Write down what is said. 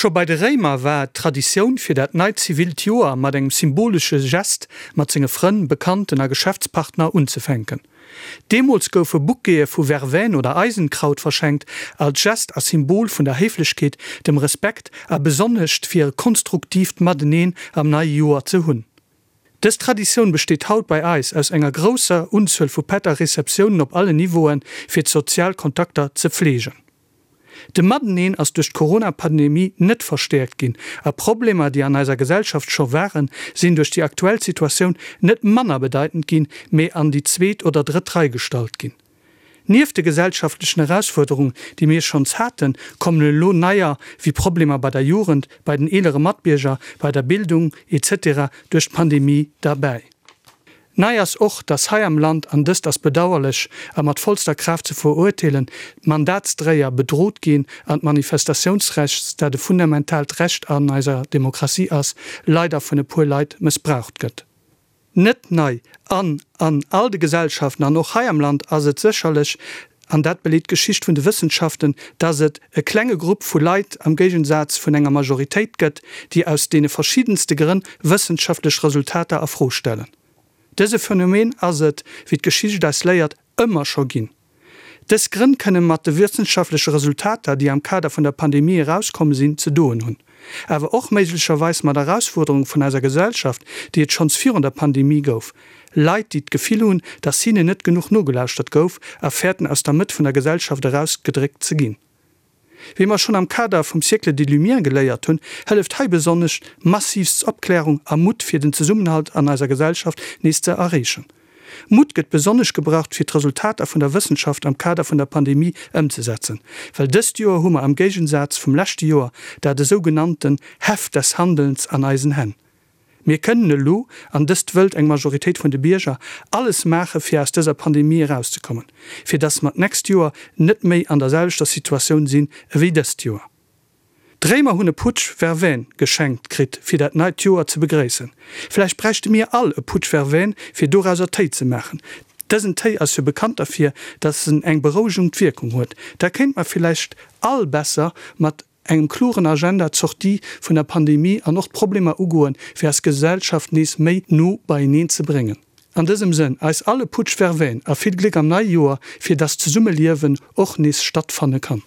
Scho bei de Réimer war et d'Traditioun, fir dat neit zivilt Joer mat engem symbolesche Gest mat senge Frënn, Bekannten a Geschäftspartner unzefänken. Deemools goufe Bouquete vu Verveine oder Eisenkraut verschenkt, als Gest a Symbol vun der Héiflechkeet, dem Respekt a besonnescht fir e konstruktiivt Mateneen am neie Joer ze hunn. Dës Traditioun besteet haut bei eis aus enger grousser Unzuel vu Pätt a Receptiounen op allen Niveauen, fir d'sozial Kontakter ze pfleegen. De Mateneen ass duerch d'Corona-Pandemie net verstäerkt ginn a Problemer, déi an eiser Gesellschaft scho waren, sinn duerch déi aktuell Situatioun net manner bedeitend ginn, mee an déi zweet oder drëtt Rei gestallt ginn. Nieft de gesellschaftlechen Erausfuerderungen, déi mir schonns haten, kommen elo neier, wéi Problemer bei der Jugend, bei den eelere Matbierger, bei der Bildung, etc. Duerch d'Pandemie derbäi. Nei ass och, dass hei am Land, an dëst ass bedauerlech a mat vollster Kraaft ze verurteelen, d'Mandatsdréier bedrot ginn an d'Manifestatiounsrechts, dat e fundamentaalt Recht an eiser Demokratie ass, leider vun e puer Leit mëssbraucht gëtt. Net nei an an all de Gesellschaften an och hei am Land ass et sécherlech, an dat beleet d'Geschicht vun de Wëssenschaften, dass et e klenge Grupp vu Leit am Géigensaz vun enger Majoritéit gëtt, déi aus deene verschiddenste Grënn wëssenschaftlech Resultater a Fro stellen. Dëse Phänomen ass et, wéi d'Geschicht eis léiert, ëmmer scho ginn. Dës Grënn kënne mat de wëssenschaftleche Resultater, déi am Kader vun der Pandemie erauskomm sinn, ze doen hunn. Awer och méiglecherweis mat Erausfuerderunge vun eiser Gesellschaft, déi et schonns virun der Pandemie gouf. Leit, déi d'Gefill hunn, dass hinnen net genuch nogelauschtert gouf a fäerten, aus der Mëtt vun der Gesellschaft erausgedréckt ze ginn. Wéi mer schonn am Kader vum Siècle des Lumières geléiert hunn, hëlleft hei besonnesch massivst Opklärung a Mutt fir den Zesummenhalt an eiser Gesellschaft nees ze erreechen. Mutt gëtt besonnesch gebraucht fir d'Resultater vun der Wëssenschaft am Kader vun der Pandemie ëmzesetzen, well dëst Joer hu mer am Géigensaz vum leschte Joer dat esou genannten Heft des Handelns an eisen Hänn. Mir kënnen elo, an dëst wëllt eng Majoritéit vun de Bierger, alles maache fir aus dëser Pandemie erauszekommen, fir datt mer d'nächst Joer net méi an der selwechter Situatioun sinn ewéi dëst Joer. D'Réimer hunn e Putsch Verveine geschenkt kritt fir dat neit Joer ze begréissen. Vläicht bräichte mir all e Putsch Verveine fir dorauser Téi ze maachen. Dësen Téi ass jo bekannt derfir, datt en eng berouegend Wierkung huet. Da kéinte mer villäicht all besser mat engem kloren Agenda d'Sortie vun der Pandemie an och d'Problemer ugoen, fir eis Gesellschaft nees méi no beieneen ze bréngen. An dësem Sënn, eis all e Putsch Verveine a vill Gléck am neie Joer, fir dass d'Zesummeliewen och nees stattfanne kann.